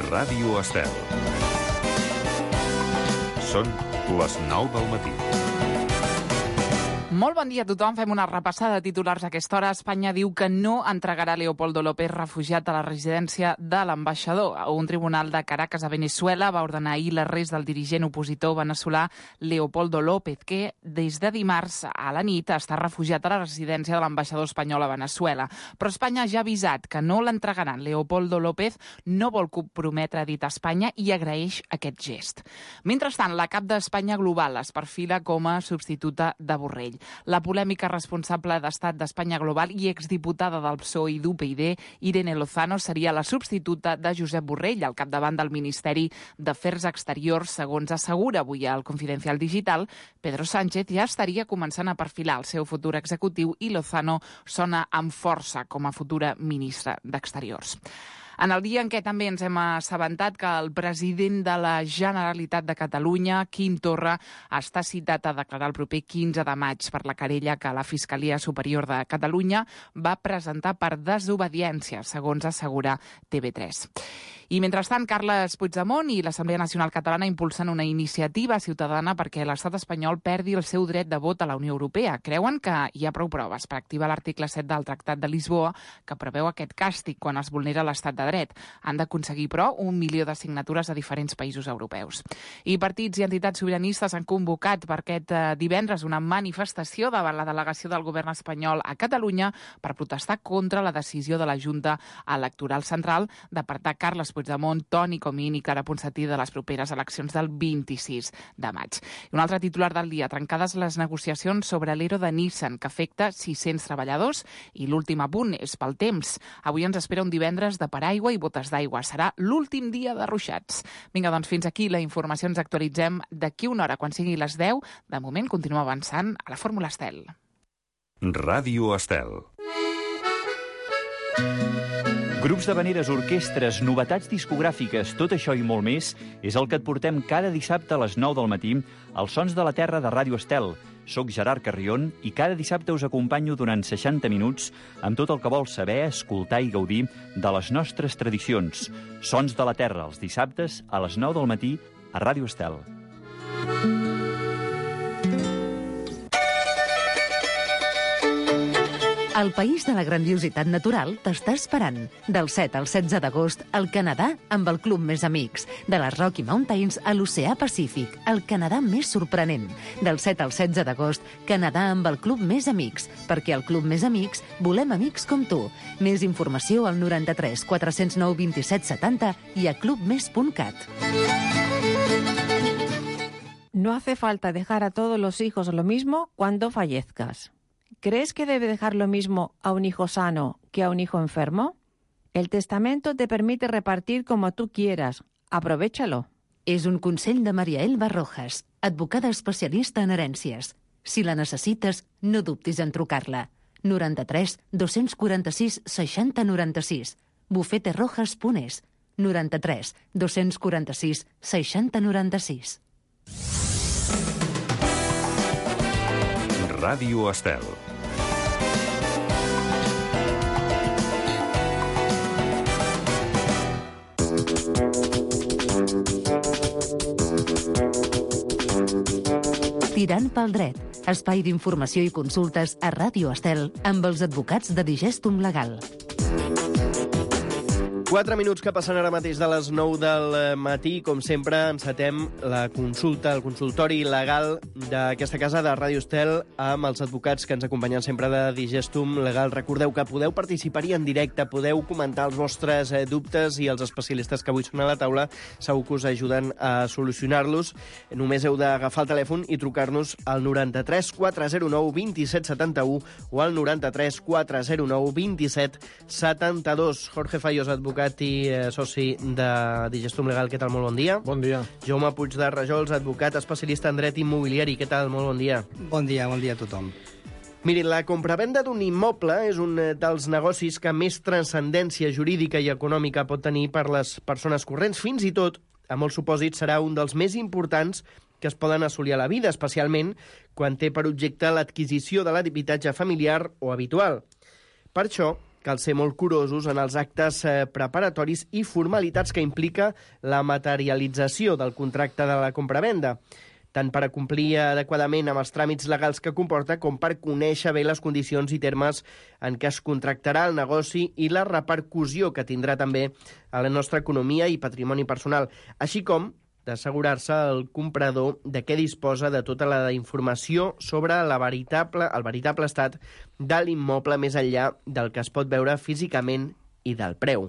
Ràdio Estel. Són les 9 del matí. Molt bon dia a tothom. Fem una repassada de titulars a aquesta hora. Espanya diu que no entregarà Leopoldo López, refugiat a la residència de l'ambaixador. Un tribunal de Caracas a Venezuela va ordenar ahir l'arrest del dirigent opositor veneçolà Leopoldo López, que des de dimarts a la nit està refugiat a la residència de l'ambaixador espanyol a Venezuela. Però Espanya ja ha avisat que no l'entregaran. Leopoldo López no vol comprometre dit a Espanya i agraeix aquest gest. Mentrestant, la cap d'Espanya Global es perfila com a substituta de Borrell. La polèmica responsable d'Estat d'Espanya Global i exdiputada del PSOE i d'UPyD, Irene Lozano, seria la substituta de Josep Borrell al capdavant del Ministeri d'Afers Exteriors, segons assegura avui al Confidencial Digital. Pedro Sánchez ja estaria començant a perfilar el seu futur executiu i Lozano sona amb força com a futura ministra d'Exteriors. En el dia en què també ens hem assabentat que el president de la Generalitat de Catalunya, Quim Torra, està citat a declarar el proper 15 de maig per la querella que la Fiscalia Superior de Catalunya va presentar per desobediència, segons assegura TV3. I mentrestant, Carles Puigdemont i l'Assemblea Nacional Catalana impulsen una iniciativa ciutadana perquè l'estat espanyol perdi el seu dret de vot a la Unió Europea. Creuen que hi ha prou proves per activar l'article 7 del Tractat de Lisboa, que preveu aquest càstig quan es vulnera l'estat de dret. Han d'aconseguir, però, 1 milió de signatures a diferents països europeus. I partits i entitats sobiranistes han convocat per aquest divendres una manifestació davant la delegació del govern espanyol a Catalunya per protestar contra la decisió de la Junta Electoral Central d'apartar Carles Puigdemont, Toni Comín i Clara Ponsatí de les properes eleccions del 26 de maig. I un altre titular del dia: trencades les negociacions sobre l'ERO de Nissan, que afecta 600 treballadors. I l'últim apunt és pel temps. Avui ens espera un divendres de paraigua i botes d'aigua. Serà l'últim dia de ruixats. Vinga, doncs fins aquí la informació. Ens actualitzem d'aquí una hora, quan sigui les 10. De moment, continuem avançant a la Fórmula Estel. Ràdio Estel. Grups d'havaneres, orquestres, novetats discogràfiques, tot això i molt més és el que et portem cada dissabte a les 9 del matí als Sons de la Terra de Ràdio Estel. Soc Gerard Carrion i cada dissabte us acompanyo durant 60 minuts amb tot el que vols saber, escoltar i gaudir de les nostres tradicions. Sons de la Terra, els dissabtes a les 9 del matí a Ràdio Estel. El país de la grandiositat natural t'està esperant. Del 7 al 16 d'agost, al Canadà amb el Club Més Amics. De les Rocky Mountains a l'Oceà Pacífic, el Canadà més sorprenent. Del 7 al 16 d'agost, Canadà amb el Club Més Amics. Perquè al Club Més Amics volem amics com tu. Més informació al 93 409 27 70 i a clubmes.cat. No hace falta dejar a todos los hijos lo mismo cuando fallezcas. ¿Crees que debe dejar lo mismo a un hijo sano que a un hijo enfermo? El testamento te permite repartir como tú quieras. Aprovéchalo. És un consell de Maria Elba Rojas, advocada especialista en herències. Si la necessites, no dubtis en trucar-la. 93 246 60 96. bufeterojas.es. 93 246 60 96. Ràdio Estel. Tirant pel dret, espai d'informació i consultes a Ràdio Estel amb els advocats de Digestum Legal. 4 minuts que passen ara mateix de les 9 del matí. Com sempre, encetem la consulta, el consultori legal d'aquesta casa de Ràdio Estel amb els advocats que ens acompanyen sempre de Digestum Legal. Recordeu que podeu participar-hi en directe, podeu comentar els vostres dubtes i els especialistes que avui són a la taula segur que us ajuden a solucionar-los. Només heu d'agafar el telèfon i trucar-nos al 93 409 27 71 o al 93 409 27 72. Jorge Fallos, advocat i soci de Digestum Legal. Què tal? Molt bon dia. Bon dia. Jaume Puig de Rajols, advocat especialista en dret immobiliari. Què tal? Molt bon dia. Bon dia a tothom. Mirin, la compravenda d'un immoble és un dels negocis que més transcendència jurídica i econòmica pot tenir per les persones corrents. Fins i tot, a molts supòsits, serà un dels més importants que es poden assolir a la vida, especialment quan té per objecte l'adquisició de l'habitatge familiar o habitual. Per això, cal ser molt curosos en els actes preparatoris i formalitats que implica la materialització del contracte de la compravenda, tant per a complir adequadament amb els tràmits legals que comporta com per conèixer bé les condicions i termes en què es contractarà el negoci i la repercussió que tindrà també a la nostra economia i patrimoni personal, així com d'assegurar-se el comprador de què disposa de tota la informació sobre el veritable estat de l'immoble més enllà del que es pot veure físicament i del preu.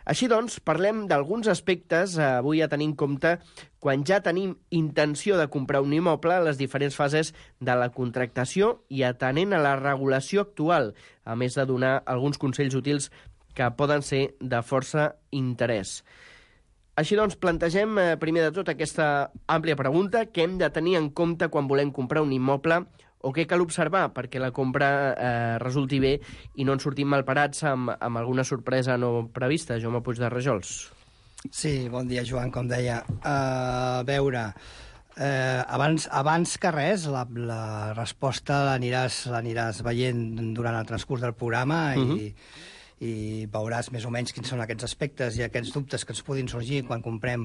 Així doncs, parlem d'alguns aspectes avui a tenir en compte quan ja tenim intenció de comprar un immoble a les diferents fases de la contractació i atenent a la regulació actual, a més de donar alguns consells útils que poden ser de força interès. Així doncs, plantegem primer de tot aquesta àmplia pregunta: què hem de tenir en compte quan volem comprar un immoble o què cal observar perquè la compra resulti bé i no ens sortim malparats amb alguna sorpresa no prevista? Jaume Puig de Rajols. Sí, bon dia, Joan, com deia. A veure, abans que res, la resposta l'aniràs veient durant el transcurs del programa i veuràs més o menys quins són aquests aspectes i aquests dubtes que ens puguin sorgir quan comprem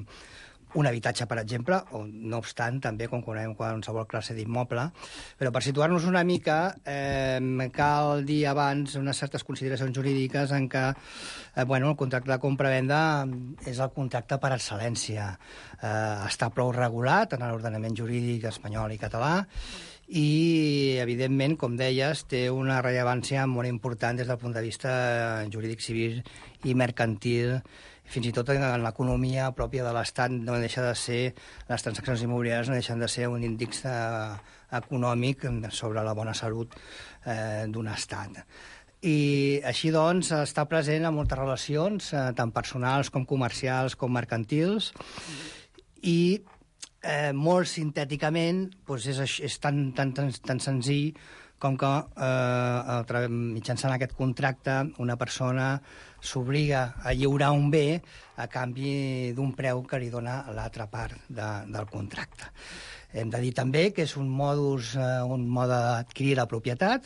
un habitatge, per exemple, o no obstant, també quan comprem qualsevol classe d'immoble. Però per situar-nos una mica, cal dir abans unes certes consideracions jurídiques en què el contracte de compra-venda és el contracte per excel·lència. Està prou regulat en l'ordenament jurídic espanyol i català, i, evidentment, com deies, té una rellevància molt important des del punt de vista jurídic, civil i mercantil. Fins i tot en l'economia pròpia de l'Estat no deixa de ser, les transaccions immobiliàries no deixen de ser un índex econòmic sobre la bona salut d'un Estat. I així, doncs, està present en moltes relacions, tant personals com comercials com mercantils, i molt sintèticament és tan senzill com que mitjançant aquest contracte una persona s'obliga a lliurar un bé a canvi d'un preu que li dona l'altra part del contracte. Hem de dir també que és un mode d'adquirir la propietat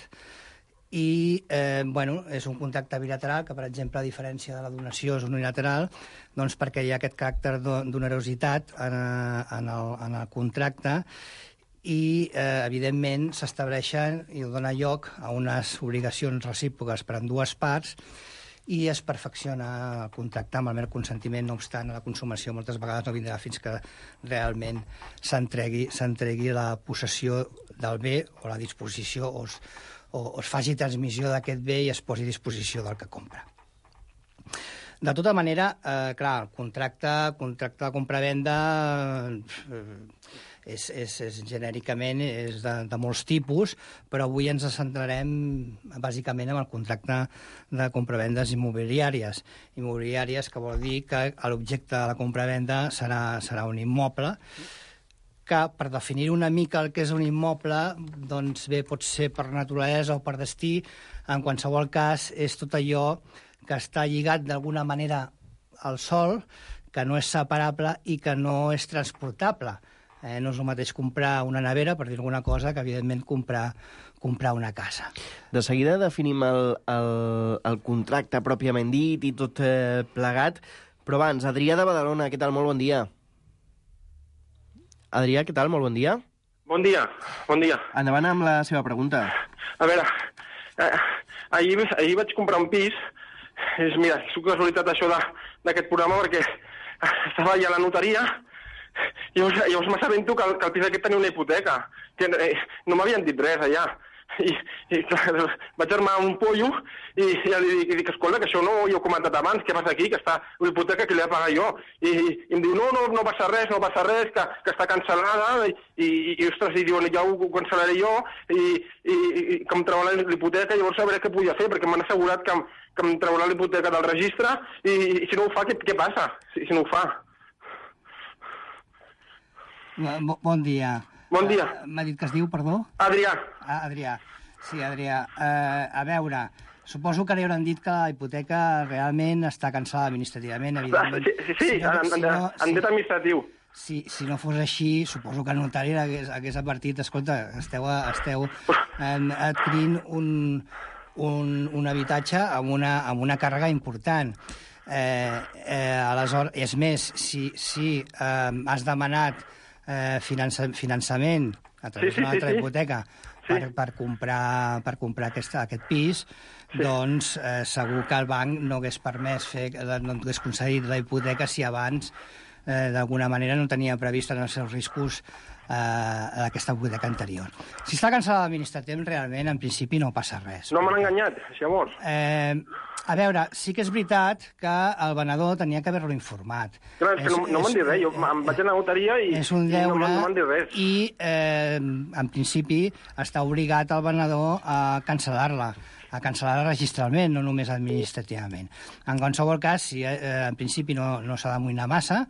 i és un contracte bilateral que, per exemple, a diferència de la donació és unilateral, doncs perquè hi ha aquest caràcter d'onerositat en el contracte i, evidentment, s'estableixen i dona lloc a unes obligacions recíproques per a dues parts i es perfecciona el contracte amb el mer consentiment. No obstant, la consumació moltes vegades no vindrà fins que realment s'entregui la possessió del bé o la disposició o es faci transmissió d'aquest bé i es posi a disposició del que compra. De tota manera, clar, el contracte de compra-venda genèricament és de molts tipus, però avui ens centrarem bàsicament en el contracte de compravendes immobiliàries. Immobiliàries, que vol dir que l'objecte de la compra-venda serà un immoble, que per definir una mica el que és un immoble, doncs bé, pot ser per naturalesa o per destí, en qualsevol cas és tot allò que està lligat d'alguna manera al sòl, que no és separable i que no és transportable. No és el mateix comprar una nevera, per dir alguna cosa, que, evidentment, comprar una casa. De seguida definim el contracte pròpiament dit i tot plegat, però abans, Adrià de Badalona, què tal? Molt bon dia. Adrià, què tal? Molt bon dia. Bon dia, bon dia. Endavant amb la seva pregunta. A veure, ahir vaig comprar un pis. Mira, és una casualitat això d'aquest programa, perquè estava allà a la notaria i llavors m'assabento que el pis aquest tenia una hipoteca, que no m'havien dit res allà. I clar, vaig armar un pollo i ja li dic, escolta, que això no ho he comentat abans, què passa aquí, que està una hipoteca que li he de pagar jo. I em diu, no passa res, que està cancel·lada, i ostres, i diuen, ja ho cancel·laré jo, i que em treurà l'hipoteca, llavors sabré què podia fer, perquè m'han assegurat que em treurà l'hipoteca del registre, i si no ho fa, què passa, si no ho fa? Bon dia. Bon dia. M'ha dit que es diu, perdó? Adrià. Adrià. Sí, Adrià. A veure, suposo que li hauran dit que la hipoteca realment està cancel·lada administrativament, evidentment. Sí, en dret administratiu. Si no fos així, suposo que el notari hagués advertit, escolta, esteu adquirint un habitatge amb una càrrega important. Aleshores, és més, si has demanat finançament a través d'una altra hipoteca per comprar aquest pis, doncs segur que el banc no hagués permès no hagués concedit la hipoteca si abans d'alguna manera no tenia previst en els seus riscos d'aquesta hipoteca anterior. Si està cancel·lada administrativament, realment, en principi no passa res. No m'han enganyat, llavors. A veure, sí que és veritat que el venedor tenia que haver-lo informat. Clar, és que no m'han dit res. Jo em vaig a la notaria i no m'han dit res. I, en principi, està obligat el venedor a cancel·lar-la registralment, no només administrativament. En qualsevol cas, en principi no s'ha d'amoïnar massa,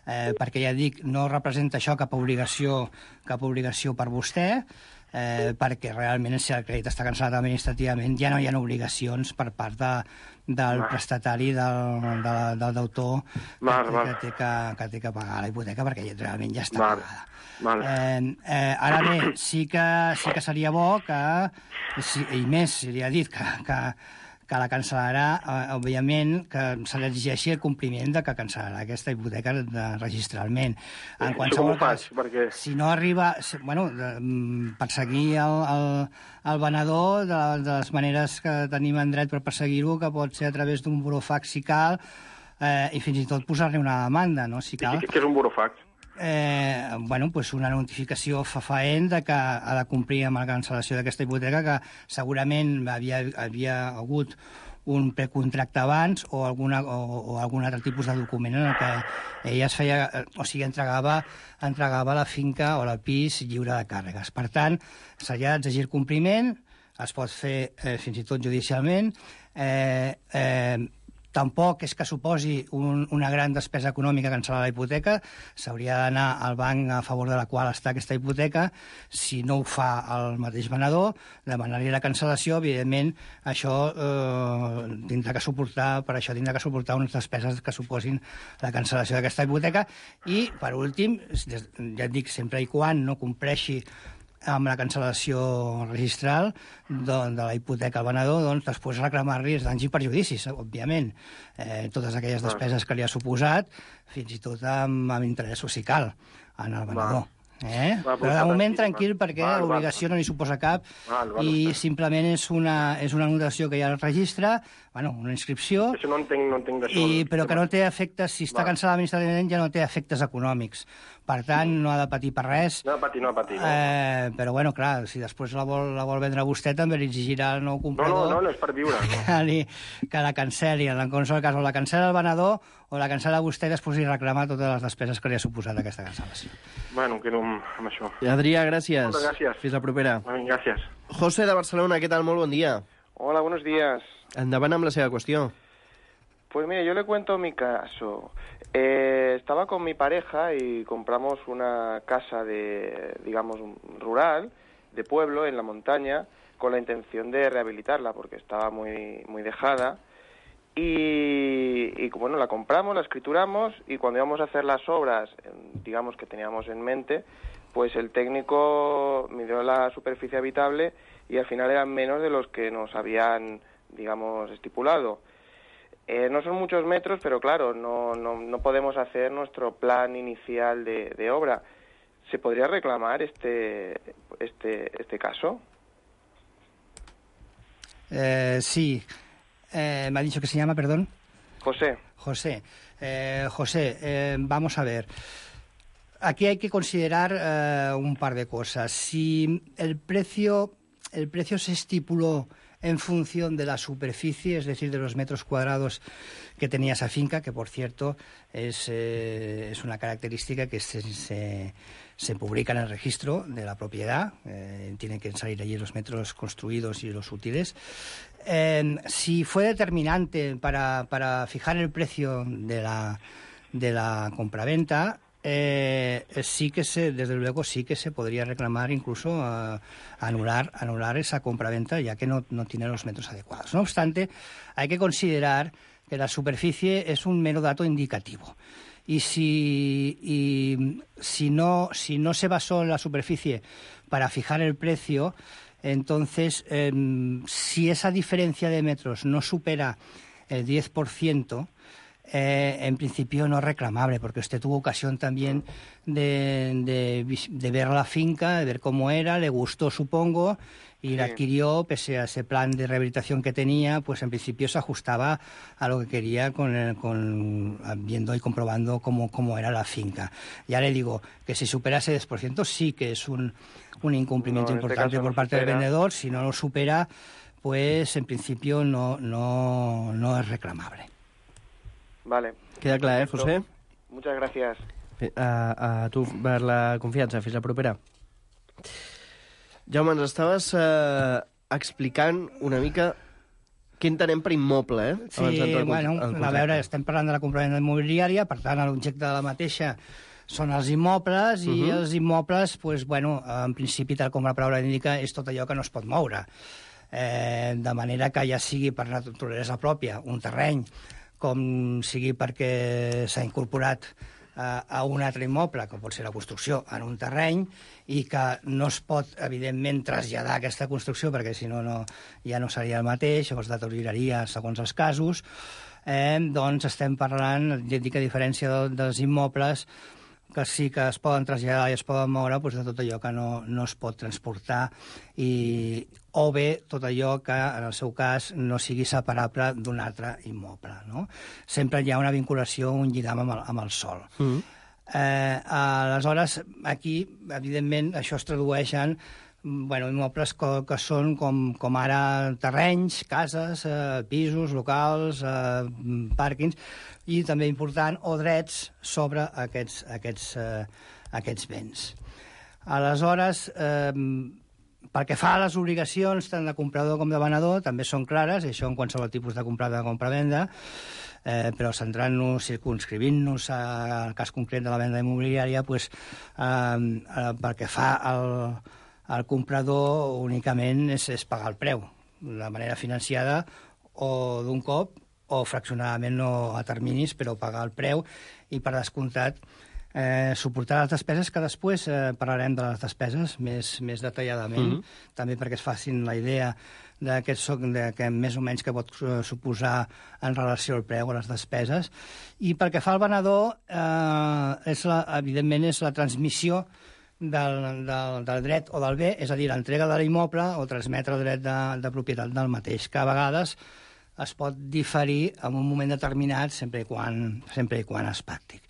perquè ja dic, no representa això cap obligació per vostè, perquè realment si el crèdit està cancel·lat administrativament ja no hi ha obligacions per part del prestatari, del deutor que té que pagar la hipoteca, perquè realment ja està pagada. Ara bé, sí que seria bo que, i més, si li ha dit que la cancel·larà, òbviament, que se li exigeixi el compliment de que cancel·larà aquesta hipoteca registralment. En qualsevol cas, si no arriba... perseguir el venedor de les maneres que tenim en dret per perseguir-ho, que pot ser a través d'un burofax si cal, i fins i tot posar-li una demanda, no? Si cal. Què és un burofax? Una notificació fefaent que ha de complir amb la cancel·lació d'aquesta hipoteca, que segurament havia hagut un precontracte abans o algun altre tipus de document en el que ella entregava la finca o el pis lliure de càrregues. Per tant, s'ha d'exigir compliment, es pot fer fins i tot judicialment. Tampoc és que suposi una gran despesa econòmica cancel·lar la hipoteca. S'hauria d'anar al banc a favor de la qual està aquesta hipoteca. Si no ho fa el mateix venedor, demanar-li la cancel·lació, evidentment, això tindrà que suportar unes despeses que suposin la cancel·lació d'aquesta hipoteca. I, per últim, ja et dic, sempre i quan no compleixi amb la cancel·lació registral de la hipoteca al venedor, doncs després reclamar-li els danys i perjudicis, òbviament. Totes aquelles despeses que li ha suposat, fins i tot amb interessos, si cal, en el venedor. Però de moment tranquil, perquè l'obligació no li suposa cap i simplement és una anotació que hi ha al registre, una inscripció, això no entenc d'això. Però que no té efectes, si està cancel·lat administrativament ja no té efectes econòmics. Per tant, no ha de patir per res. No ha de patir. Però, clar, si després la vol vendre vostè, també li exigirà el nou comprador... No, és per viure. Que la cancel·li. En qualsevol cas, o la cancel·la el venedor o la cancel·la vostè i després li reclama totes les despeses que li ha suposat aquesta cancel·lació. Quedo amb això. Adrià, gràcies. Moltes gràcies. Fins la propera. Gràcies. José de Barcelona, ¿qué tal? Molt bon dia. Hola, buenos días. Endavant amb la seva qüestió. Pues mire, yo le cuento mi caso. Estaba con mi pareja y compramos una casa rural, de pueblo, en la montaña, con la intención de rehabilitarla, porque estaba muy, muy dejada. Y la compramos, la escrituramos, y cuando íbamos a hacer las obras, que teníamos en mente, pues el técnico midió la superficie habitable y al final eran menos de los que nos habían, estipulado. No son muchos metros, pero claro, no podemos hacer nuestro plan inicial de obra. ¿Se podría reclamar este caso? Sí. Me ha dicho que se llama, perdón. José. José, vamos a ver. Aquí hay que considerar un par de cosas. Si el precio se estipuló en función de la superficie, es decir, de los metros cuadrados que tenía esa finca, que por cierto es una característica que se publica en el registro de la propiedad, tienen que salir allí los metros construidos y los útiles. Si fue determinante para fijar el precio de la compraventa, desde luego sí que se podría reclamar, incluso anular esa compraventa, ya que no tiene los metros adecuados. No obstante, hay que considerar que la superficie es un mero dato indicativo. Y si no se basó en la superficie para fijar el precio, Entonces, si esa diferencia de metros no supera el 10%, en principio no es reclamable, porque usted tuvo ocasión también de ver la finca, de ver cómo era, le gustó, supongo, y la adquirió, pese a ese plan de rehabilitación que tenía, pues en principio se ajustaba a lo que quería viendo y comprobando cómo era la finca. Ya le digo que si supera ese 10% sí que es un incumplimiento importante por parte del vendedor. Si no lo supera, pues en principio no es reclamable. Vale. Queda clar, José? Muchas gracias. A tu per la confiança. Fins la propera. Jaume, ens estaves explicant una mica què entenem per immoble, Sí, a veure, estem parlant de la compravenda immobiliària, per tant, l'objecte de la mateixa són els immobles, i els immobles, en principi, tal com la paraula indica, és tot allò que no es pot moure. De manera que ja sigui per naturalesa pròpia, un terreny, com sigui perquè s'ha incorporat a un altre immoble, que pot ser la construcció, en un terreny, i que no es pot, evidentment, traslladar aquesta construcció, perquè si no ja no seria el mateix, o es deterioraria segons els casos, doncs estem parlant, ja dic, a diferència dels immobles, que sí que es poden traslladar i es poden moure, doncs de tot allò que no es pot transportar, o bé tot allò que, en el seu cas, no sigui separable d'un altre immoble, no? Sempre hi ha una vinculació, un lligam amb el sòl. Aleshores, aquí, evidentment, això es tradueix en immobles que són com ara terrenys, cases, pisos, locals, pàrquings, i també important, o drets sobre aquests béns. Aleshores, pel que fa a les obligacions tant de comprador com de venedor, també són clares, i això en qualsevol tipus de comprada o compra-venda, però centrant-nos, circunscrivint-nos al cas concret de la venda immobiliària, pel que fa al comprador únicament és pagar el preu, de manera financiada o d'un cop, o fraccionadament o a terminis, però pagar el preu i, per descomptat, suportar les despeses, que després parlarem de les despeses més detalladament, també perquè es facin la idea de que més o menys que pot suposar en relació al preu o les despeses. I pel que fa al venedor, evidentment és la transmissió del dret o del bé, és a dir, l'entrega de l'immoble o transmetre el dret de propietat del mateix, que a vegades es pot diferir en un moment determinat sempre i quan és pràctic.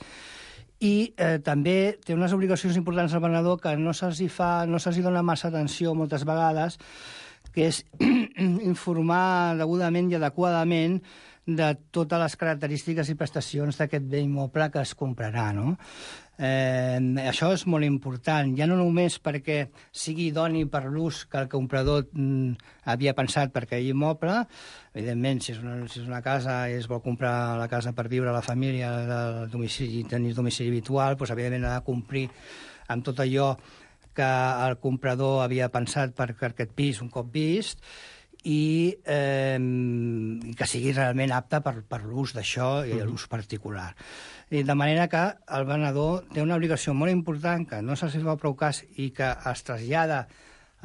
I també té unes obligacions importants al venedor que no se'ls dona massa atenció moltes vegades, que és informar degudament i adequadament de totes les característiques i prestacions d'aquest bé immoble que es comprarà, no? Això és molt important, ja no només perquè sigui idoni per l'ús que el comprador havia pensat per aquell immoble. Evidentment, si és una casa i es vol comprar la casa per viure a la família, tenir domicili habitual, doncs evidentment ha de complir amb tot allò que el comprador havia pensat per aquest pis un cop vist, i que sigui realment apte per l'ús d'això i l'ús particular. I de manera que el venedor té una obligació molt important, que no se'ls fa prou cas i que es trasllada,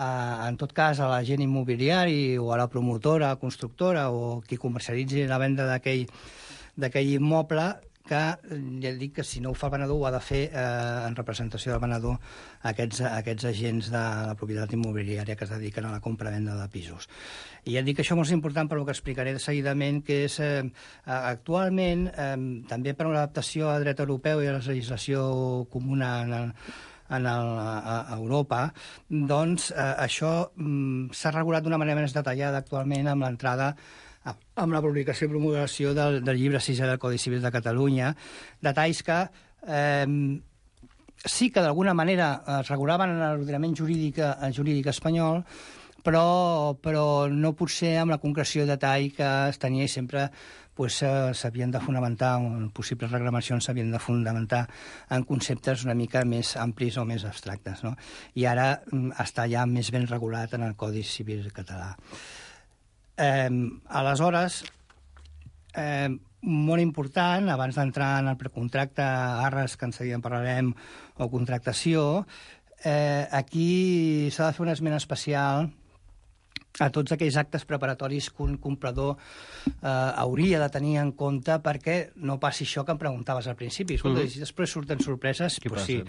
en tot cas, a l'agent immobiliari o a la promotora, constructora o qui comercialitzi la venda d'aquell immoble, que ja dic que si no ho fa el venedor ho ha de fer en representació del venedor aquests agents de la propietat immobiliària que es dediquen a la compra-venda de pisos. I ja dic que això és molt important per el que explicaré seguidament, que és actualment, també per una adaptació al dret europeu i a la legislació comuna a Europa, doncs això s'ha regulat d'una manera més detallada actualment amb l'entrada, amb la publicació i promulgació del llibre 6è del Codi Civil de Catalunya, detalls que sí que d'alguna manera es regulaven en l'ordenament jurídic espanyol, però no potser amb la concreció de detall que es tenia, i sempre s'havien de fonamentar, possibles reclamacions s'havien de fonamentar en conceptes una mica més amplis o més abstractes, no? I ara està ja més ben regulat en el Codi Civil català. Aleshores, molt important, abans d'entrar en el precontracte, arres, que en seguida en parlarem, o contractació, aquí s'ha de fer una esmena especial a tots aquells actes preparatoris que un comprador hauria de tenir en compte perquè no passi això que em preguntaves al principi. Escolta, si després surten sorpreses, doncs sí.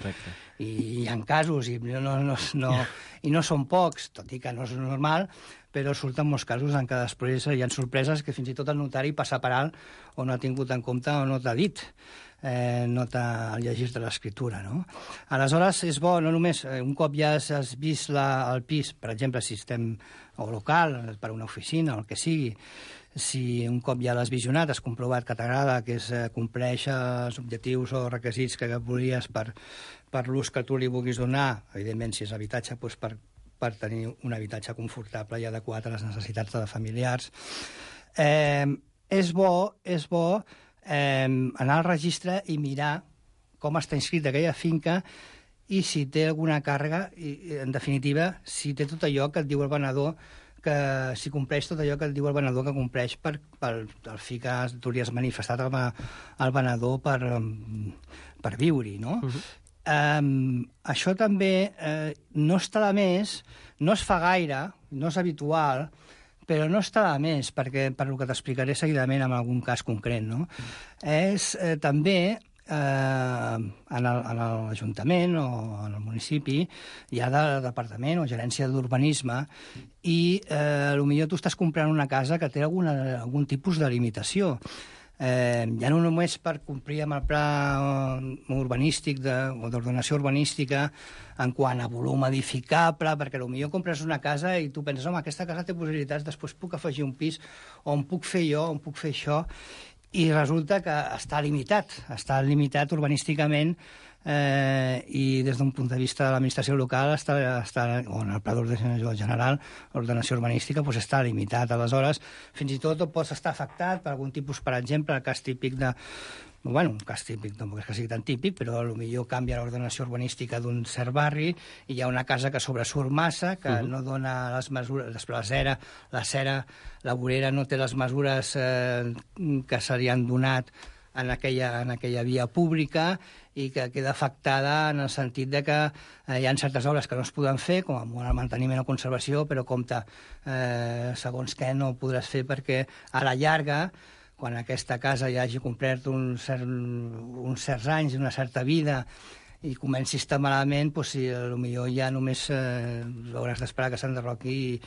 I hi ha casos, i no són pocs, tot i que no és normal, però surten molts casos en què després hi ha sorpreses que fins i tot el notari passa per alt o no ha tingut en compte o no t'ha dit. No t'ha llegit de l'escriptura, no? Aleshores, és bo, no només, un cop ja has vist el pis, per exemple, si estem o local, per una oficina, o el que sigui, si un cop ja l'has visionat, has comprovat que t'agrada, que compleix els objectius o requisits que volies per l'ús que tu li vulguis donar, evidentment, si és habitatge, doncs per tenir un habitatge confortable i adequat a les necessitats de familiars. És bo anar al registre i mirar com està inscrit aquella finca i si té alguna càrrega, i en definitiva, si té tot allò que et diu el venedor, si compleix tot allò que et diu el venedor que compleix pel fi que tu li has manifestat al venedor per viure-hi, no? Això també no està de més, no es fa gaire, no és habitual, però no està de més, perquè per el que t'explicaré seguidament en algun cas concret, no? És també en l'Ajuntament o en el municipi hi ha de departament o gerència d'urbanisme i potser tu estàs comprant una casa que té algun tipus de limitació. Ja no només per complir amb el pla urbanístic o d'ordenació urbanística en quant a volum edificable, perquè potser compres una casa i tu penses, home, aquesta casa té possibilitats, després puc afegir un pis, on puc fer jo, on puc fer això, i resulta que està limitat urbanísticament i des d'un punt de vista de l'administració local o en el pla d'ordenació general, l'ordenació urbanística està limitat. Aleshores, fins i tot pots estar afectat per algun tipus, per exemple, el cas típic un cas típic, no és que sigui tan típic, però potser canvia l'ordenació urbanística d'un cert barri i hi ha una casa que sobresurt massa, que no dona les mesures, després la vorera no té les mesures que se li han donat en aquella via pública i que queda afectada en el sentit de que hi ha certes obres que no es poden fer, com el manteniment o conservació, però compte, segons què no ho podràs fer perquè a la llarga, quan aquesta casa ja hagi complert uns certs anys, una certa vida, i comenci a estar malament, potser ja només hauràs d'esperar que s'enderroqui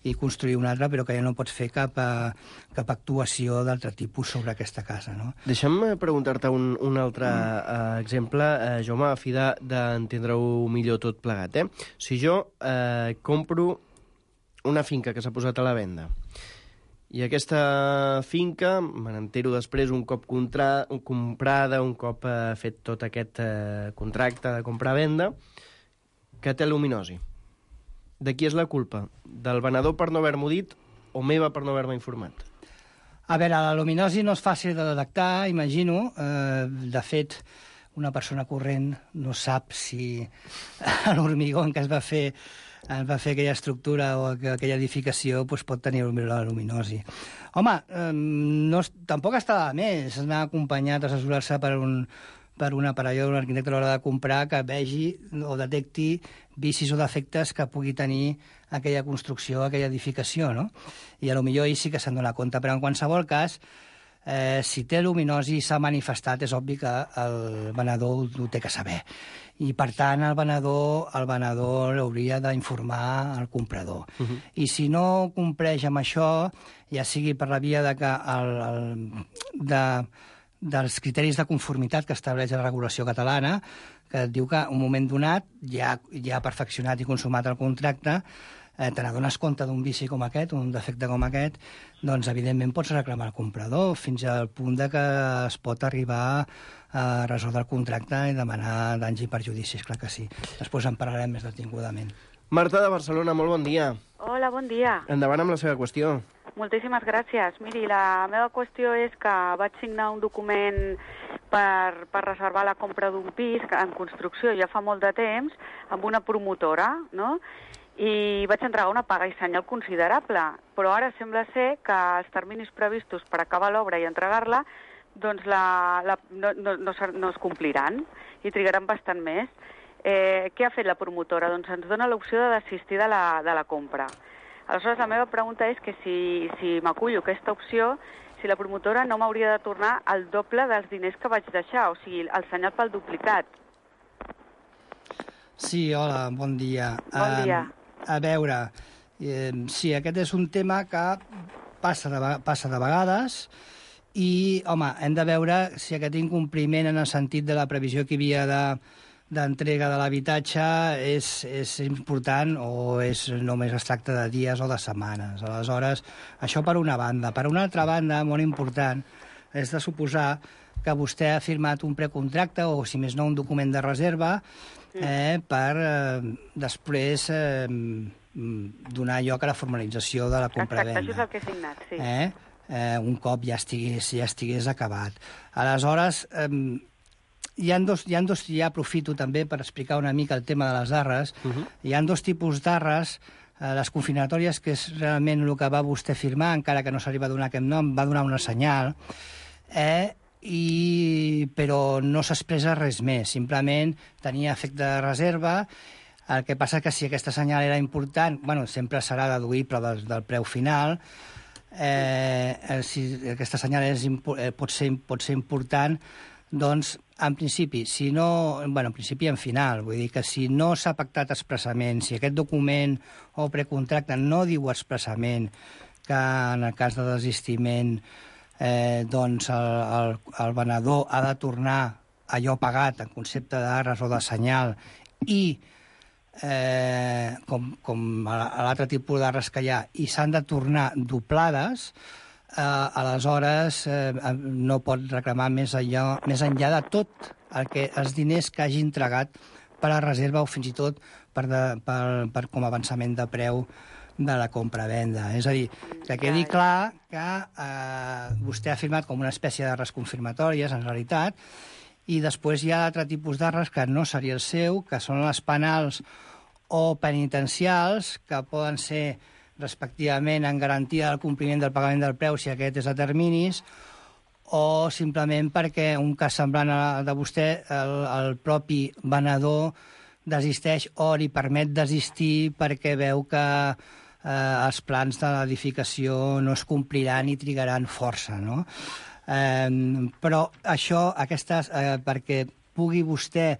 i construir una altra, però que ja no pots fer cap actuació d'altre tipus sobre aquesta casa, no? Deixa'm preguntar-te un altre exemple, Jaume, a fi d'entendre-ho millor tot plegat. Si jo compro una finca que s'ha posat a la venda i aquesta finca, me n'entero després un cop comprada, un cop fet tot aquest contracte de compra-venda, que té luminosi. De qui és la culpa? Del venedor per no haver-m'ho dit o meva per no haver-me informat? A veure, la luminosi no és fàcil de detectar, imagino. De fet, una persona corrent no sap si l'hormigó en què es va fer aquella estructura o aquella edificació pot tenir la luminosi. Home, tampoc està de més anar acompanyat, assessorar-se per un aparellador o un arquitecte a l'hora de comprar que vegi o detecti vicis o defectes que pugui tenir aquella construcció, aquella edificació, no? I potser ell sí que se'n dona compte, però en qualsevol cas, si té luminosi i s'ha manifestat, és obvi que el venedor ho té que saber. I, per tant, el venedor hauria d'informar el comprador. I si no compleix amb això, ja sigui per la via dels criteris de conformitat que estableix la regulació catalana, que et diu que en un moment donat ja ha perfeccionat i consumat el contracte, te n'adones compte d'un vici com aquest, un defecte com aquest, doncs evidentment pots reclamar al comprador fins al punt de que es pot arribar a resoldre el contracte i demanar danys i perjudicis, clar que sí. Després en parlarem més detingudament. Marta de Barcelona, molt bon dia. Hola, bon dia. Endavant amb la seva qüestió. Moltíssimes gràcies. Miri, la meva qüestió és que vaig signar un document per reservar la compra d'un pis en construcció ja fa molt de temps amb una promotora, no?, i vaig entregar una paga i senyal considerable, però ara sembla ser que els terminis previstos per acabar l'obra i entregar-la doncs no es compliran i trigaran bastant més. Què ha fet la promotora? Doncs ens dona l'opció de desistir de la compra. Aleshores, la meva pregunta és que si m'acullo aquesta opció, si la promotora no m'hauria de tornar el doble dels diners que vaig deixar, o sigui, el senyal pel duplicat. Sí, hola, bon dia. Bon dia. A veure, sí, aquest és un tema que passa de vegades i, home, hem de veure si aquest incompliment en el sentit de la previsió que hi havia d'entrega de l'habitatge és important o només es tracta de dies o de setmanes. Aleshores, això per una banda. Per una altra banda, molt important, és de suposar que vostè ha firmat un precontracte o, si més no, un document de reserva per després donar lloc a la formalització de la compra-venda. Exacte, això és el que he signat, sí. Un cop ja estigués acabat. Aleshores, ja aprofito també per explicar una mica el tema de les arres. Hi ha dos tipus d'arres. Les confirmatòries, que és realment el que va vostè firmar, encara que no s'arriba a donar aquest nom, va donar una senyal, però no s'expressa res més. Simplement tenia efecte de reserva. El que passa que si aquesta senyal era important, sempre serà deduïble del preu final. Si aquesta senyal pot ser important, doncs, en principi, en principi en final, vull dir que si no s'ha pactat expressament, si aquest document o precontracte no diu expressament que en el cas de desistiment doncs el venedor ha de tornar allò pagat en concepte d'arres o de senyal i com a l'altre tipus d'arres que hi ha, i s'han de tornar doblades, aleshores no pot reclamar més enllà de tot els diners que hagi entregat per a reserva o fins i tot per com a avançament de preu de la compra-venda. És a dir, que quedi clar que vostè ha firmat com una espècie d'arres confirmatòries, en realitat, i després hi ha altre tipus d'arres que no seria el seu, que són les penals o penitencials, que poden ser respectivament en garantia del compliment del pagament del preu si aquest és a terminis, o simplement perquè un cas semblant de vostè, el propi venedor desisteix o li permet desistir perquè veu que els plans de l'edificació no es compliran i trigaran força, no? Però això, perquè pugui vostè,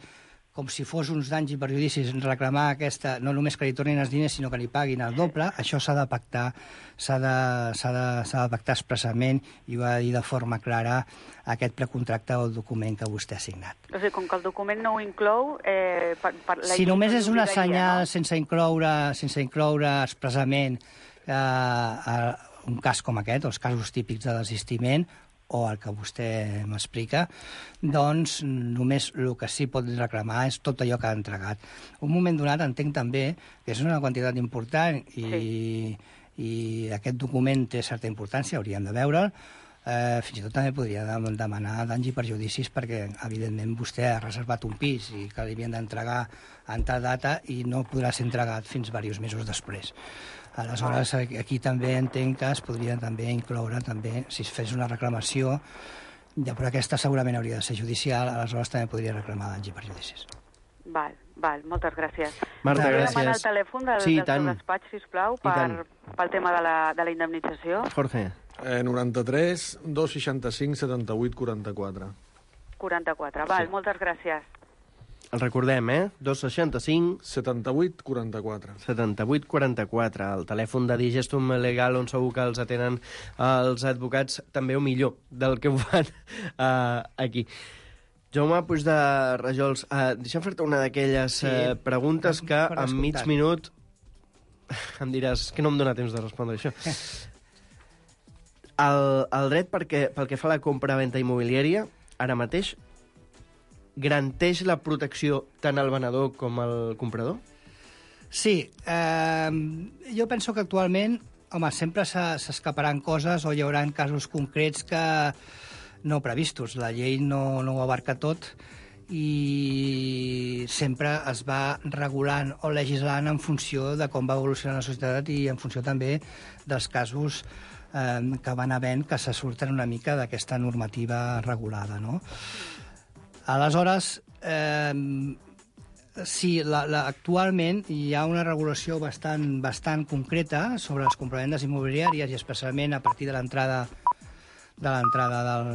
com si fos uns danys i perjudicis, reclamar no només que li tornin els diners, sinó que li paguin el doble, això s'ha de pactar, s'ha de pactar expressament i ho ha de dir de forma clara aquest precontracte o el document que vostè ha signat. O sigui, com que el document no ho inclou... Si només és una senyal sense incloure expressament un cas com aquest, els casos típics de desistiment, o el que vostè m'explica, doncs només el que sí pot reclamar és tot allò que ha entregat. Un moment donat entenc també que és una quantitat important i aquest document té certa importància, hauríem de veure'l. Fins i tot també podria demanar danys i perjudicis perquè, evidentment, vostè ha reservat un pis i que li havien d'entregar en tal data i no podrà ser entregat fins diversos mesos després. Aleshores, aquí també entenc que es podria també incloure, si es fes una reclamació, però aquesta segurament hauria de ser judicial, aleshores també podria reclamar danys i perjudicis. Val, moltes gràcies. Marta, gràcies. Podria demanar el telèfon del seu despatx, sisplau, pel tema de la indemnització? Jorge. 93 265 78 44. 44, val, moltes gràcies. El recordem, 265... 78 44. 78 44, el telèfon de Digestum Legal, on segur que els atenen els advocats també o millor del que ho fan aquí. Jaume Puig de Rajols, deixa'm fer-te una d'aquelles preguntes que en mig minut em diràs que no em dóna temps de respondre això. El dret pel que fa a la compra-venda immobiliària, ara mateix, garanteix la protecció tant al venedor com al comprador? Sí. Jo penso que actualment, sempre s'escaparan coses o hi haurà casos concrets que no previstos. La llei no ho abarca tot i sempre es va regulant o legislant en funció de com va evolucionar la societat i en funció també dels casos que van havent que se surten una mica d'aquesta normativa regulada, no? Aleshores, Sí, actualment hi ha una regulació bastant concreta sobre les compravendes immobiliàries i especialment a partir de l'entrada del